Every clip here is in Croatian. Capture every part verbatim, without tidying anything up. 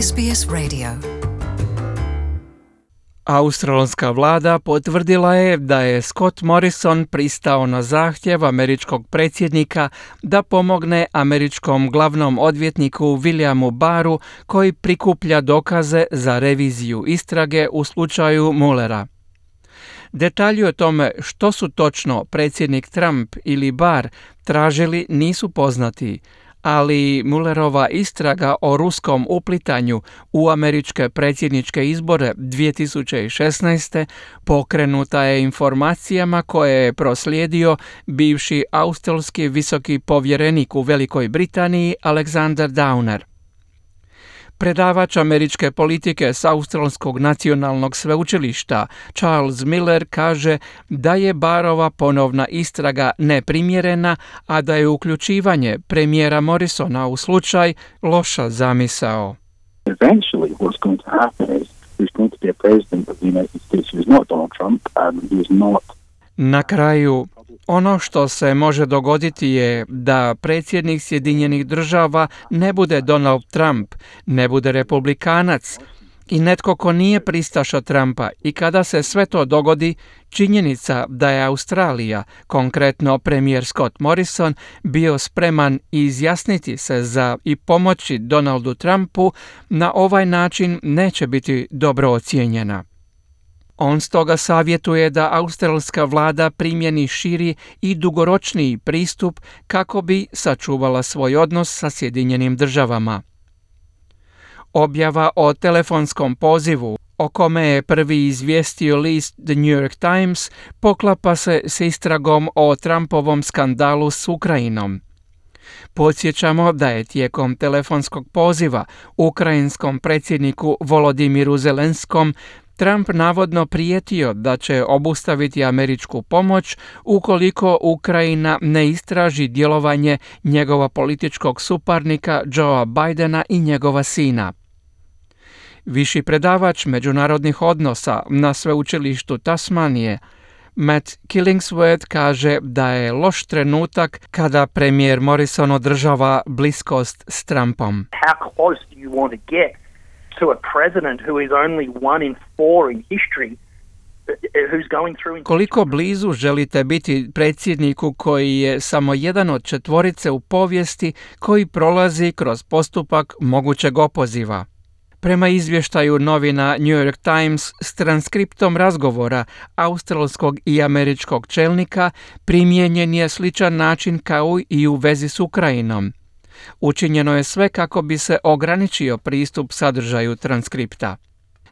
S B S Radio. Australska vlada potvrdila je da je Scott Morrison pristao na zahtjev američkog predsjednika da pomogne američkom glavnom odvjetniku Williamu Barru koji prikuplja dokaze za reviziju istrage u slučaju Muellera. Detalji o tome što su točno predsjednik Trump ili Barr tražili nisu poznati, ali Muellerova istraga o ruskom uplitanju u američke predsjedničke izbore dvije tisuće šesnaeste. pokrenuta je informacijama koje je proslijedio bivši australski visoki povjerenik u Velikoj Britaniji Alexander Downer. Predavač američke politike s Australskog nacionalnog sveučilišta Charles Miller kaže da je Barrova ponovna istraga neprimjerena, a da je uključivanje premijera Morrisona u slučaj loša zamisao. Eventually what's going to happen is there's going to be a president of the United States who is not Donald Trump and who is not. Na kraju, ono što se može dogoditi je da predsjednik Sjedinjenih država ne bude Donald Trump, ne bude republikanac i netko ko nije pristaša Trumpa, i kada se sve to dogodi, činjenica da je Australija, konkretno premijer Scott Morrison, bio spreman izjasniti se za i pomoći Donaldu Trumpu, na ovaj način neće biti dobro ocijenjena. On stoga savjetuje da australska vlada primjeni širi i dugoročniji pristup kako bi sačuvala svoj odnos sa Sjedinjenim državama. Objava o telefonskom pozivu, o kome je prvi izvijestio list The New York Times, poklapa se s istragom o Trumpovom skandalu s Ukrajinom. Podsjećamo da je tijekom telefonskog poziva ukrajinskom predsjedniku Volodimiru Zelenskom Trump navodno prijetio da će obustaviti američku pomoć ukoliko Ukrajina ne istraži djelovanje njegova političkog suparnika Joea Bidena i njegova sina. Viši predavač međunarodnih odnosa na sveučilištu Tasmanije Matt Killingsworth kaže da je loš trenutak kada premijer Morrison održava bliskost s Trumpom. How close do you want to get to a president who is only one in four in history who's going through... Koliko blizu želite biti predsjedniku koji je samo jedan od četvorice u povijesti koji prolazi kroz postupak mogućeg opoziva? Prema izvještaju novina New York Times s transkriptom razgovora australskog i američkog čelnika primijenjen je sličan način kao i u vezi s Ukrajinom. Učinjeno je sve kako bi se ograničio pristup sadržaju transkripta.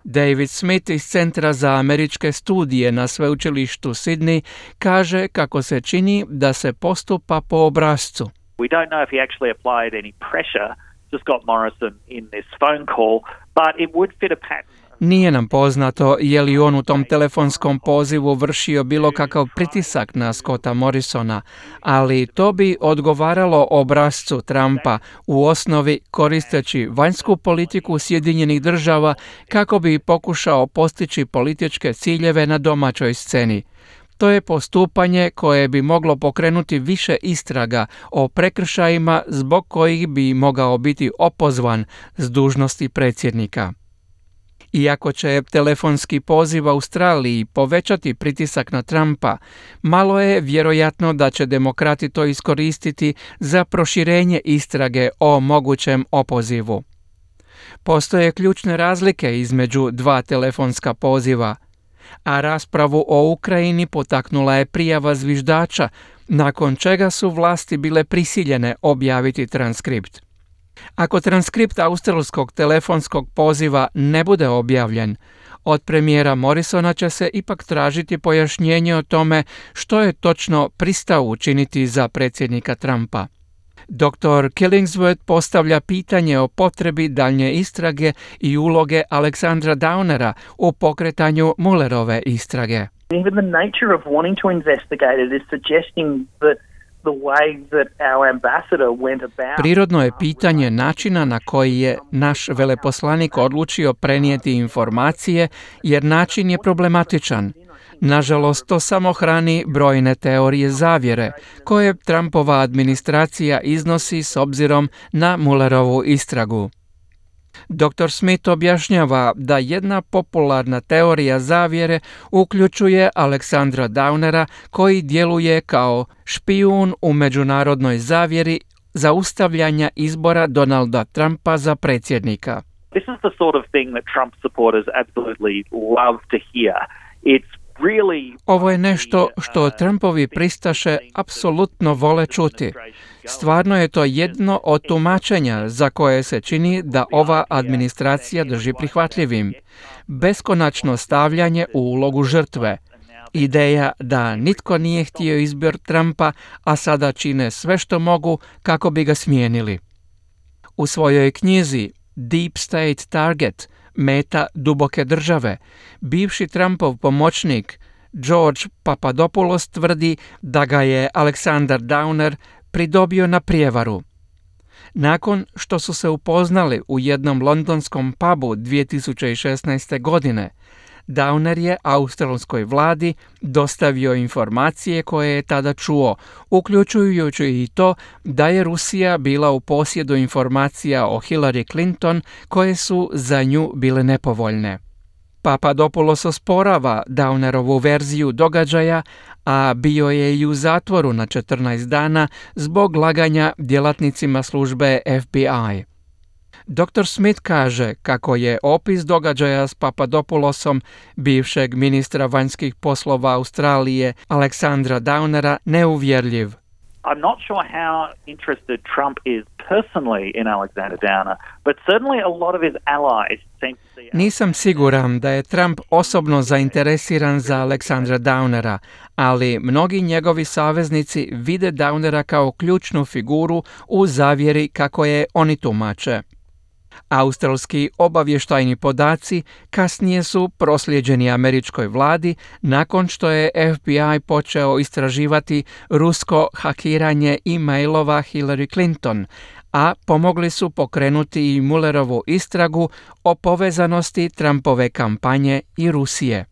David Smith iz Centra za američke studije na sveučilištu Sydney kaže kako se čini da se postupa po obrascu. We don't know if he actually applied any pressure to Scott Morrison in this phone call, but it would fit a pattern. Nije nam poznato je li on u tom telefonskom pozivu vršio bilo kakav pritisak na Scotta Morrisona, ali to bi odgovaralo obrascu Trumpa, u osnovi koristeći vanjsku politiku Sjedinjenih država kako bi pokušao postići političke ciljeve na domaćoj sceni. To je postupanje koje bi moglo pokrenuti više istraga o prekršajima zbog kojih bi mogao biti opozvan s dužnosti predsjednika. Iako će telefonski poziv Australiji povećati pritisak na Trumpa, malo je vjerojatno da će demokrati to iskoristiti za proširenje istrage o mogućem opozivu. Postoje ključne razlike između dva telefonska poziva, a raspravu o Ukrajini potaknula je prijava zviždača, nakon čega su vlasti bile prisiljene objaviti transkript. Ako transkript australskog telefonskog poziva ne bude objavljen, od premijera Morrisona će se ipak tražiti pojašnjenje o tome što je točno pristao učiniti za predsjednika Trumpa. doktor Killingsworth postavlja pitanje o potrebi daljnje istrage i uloge Alexandra Downera u pokretanju Muellerove istrage. Even the nature of wanting to investigate it is suggesting that the way that our ambassador went about... Prirodno je pitanje načina na koji je naš veleposlanik odlučio prenijeti informacije, jer način je problematičan. Nažalost, to samo hrani brojne teorije zavjere, koje Trumpova administracija iznosi s obzirom na Muellerovu istragu. doktor Smith objašnjava da jedna popularna teorija zavjere uključuje Aleksandra Downera koji djeluje kao špijun u međunarodnoj zavjeri zaustavljanja izbora Donalda Trumpa za predsjednika. This is the sort of thing that Trump supporters absolutely love to hear. It's really Ovo je nešto što Trumpovi pristaše apsolutno vole čuti. Stvarno je to jedno od tumačenja za koje se čini da ova administracija drži prihvatljivim. Beskonačno stavljanje u ulogu žrtve. Ideja da nitko nije htio izbor Trumpa, a sada čine sve što mogu kako bi ga smijenili. U svojoj knjizi Deep State Target, meta duboke države, bivši Trumpov pomoćnik George Papadopoulos tvrdi da ga je Aleksandar Downer pridobio na prijevaru. Nakon što su se upoznali u jednom londonskom pubu dvije tisuće šesnaeste. godine, Downer je australskoj vladi dostavio informacije koje je tada čuo, uključujući i to da je Rusija bila u posjedu informacija o Hillary Clinton koje su za nju bile nepovoljne. Papadopoulos osporava Downerovu verziju događaja, a bio je i u zatvoru na četrnaest dana zbog laganja djelatnicima službe F B I. doktor Smith kaže kako je opis događaja s Papadopoulosom, bivšeg ministra vanjskih poslova Australije, Aleksandra Downera, neuvjerljiv. I'm not sure how interested Trump is personally in Alexander Downer, but certainly a lot of his allies seem to see... Nisam siguran da je Trump osobno zainteresiran za Aleksandra Downera, ali mnogi njegovi saveznici vide Downera kao ključnu figuru u zavjeri kako je oni tumače. Australski obavještajni podaci kasnije su proslijeđeni američkoj vladi nakon što je F B I počeo istraživati rusko hakiranje e-mailova Hillary Clinton, a pomogli su pokrenuti i Mullerovu istragu o povezanosti Trumpove kampanje i Rusije.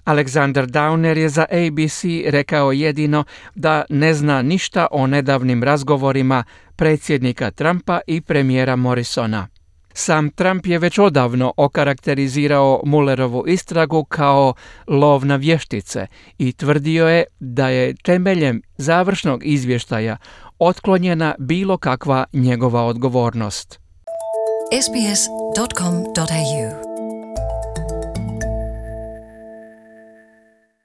Alexander Downer je za A B C rekao jedino da ne zna ništa o nedavnim razgovorima predsjednika Trumpa i premijera Morrisona. Sam Trump je već odavno okarakterizirao Mullerovu istragu kao lov na vještice i tvrdio je da je temeljem završnog izvještaja otklonjena bilo kakva njegova odgovornost. S B S dot com dot A U